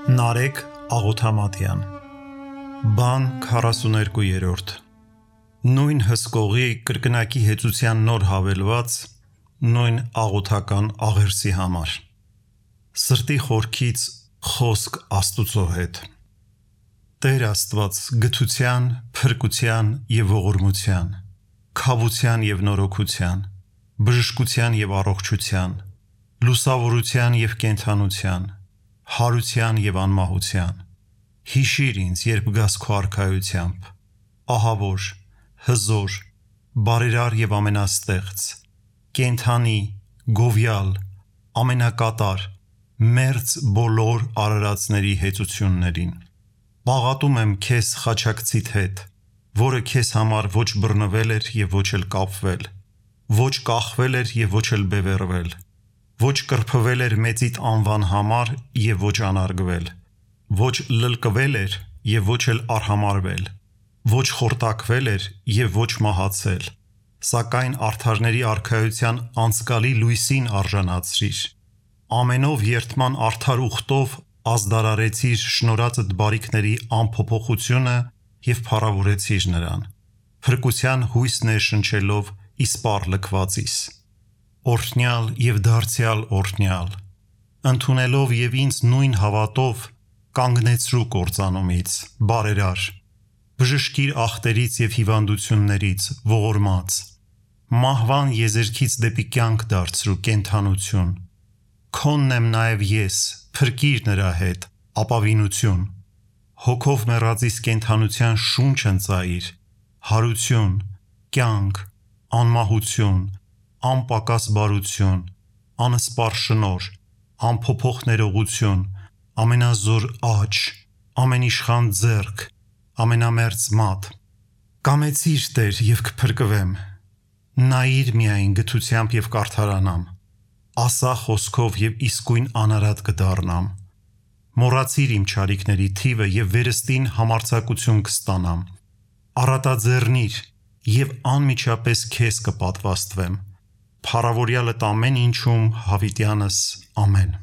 Նարեկ Աղոթամատյան Բան 42-րդ Նույն հսկողի կրկնակի հեծության նոր հավելված նույն աղոթական աղերսի համար Սրտի խորքից խոսք Աստուծո հետ Տեր Աստված գթության, փրկության և ողորմության, քավության և նորոգության, բժշկության և առողջության, լուսավորության և կենդանության, հարության և անմահության, հիշիր ինձ, երբ գաս քո արքայությամբ, ահավոր, հզոր, բարերար և ամենաստեղծ, կենդանի, գովյալ, ամենակատար, մերձ բոլոր արարածների հեծություններին։ Պաղատում եմ քեզ խաչակցիդ հետ, որը քեզ համար ոչ բռնվել էր և ոչ էլ կապվել, ոչ կախվել էր և ոչ էլ բևեռվել, ոչ կրփվել էր մեծիդ անվան համար և ոչ անարգվել, ոչ լլկվել էր և ոչ էլ արհամարհվել, ոչ խորտակվել էր և ոչ մահացել, սակայն արդարների արքայության անցկալի լույսին արժանացրիր, ամենով երդման արդար ուխտով ազդարարեցիր շնորհածդ բարիքների անփոփոխությունը և փառավորեցիր նրան, փրկության հույս ներշնչելով իսպառ լքվածիս, օրհնյալ և դարձյալ օրհնյալ, ընդունելով և ինձ նույն հավատով կանգնեցրու կործանումից, բարերար, բժշկիր ախտերից և հիվանդություններից, ողորմած, մահվան եզերքից դեպի կյանք դարձրու կենդանություն, քոնն եմ նաև ես, փրկիր նրա հետ, ապավինություն, հոգով մեռածիս կենդանության շունչ ընծայիր, հարություն, կյանք, անմահություն, անպակաս բարություն, անսպառ շնորհ, անփոփոխ ներողություն, ամենազոր աջ, ամենիշխան ձեռք, ամենամերձ մատ, կամեցիր Տեր և կփրկվեմ, նայիր միայն գթությամբ և կարդարանամ, ասա խոսքով և իսկույն անարատ կդառնամ, մոռացիր իմ չարիքների թիվը և վերստին համարձակություն կստանամ, առատաձեռնիր և անմիջապես քեզ կպատվաստվեմ, փառավորյալդ ամեն ինչում հավիտյանս ամեն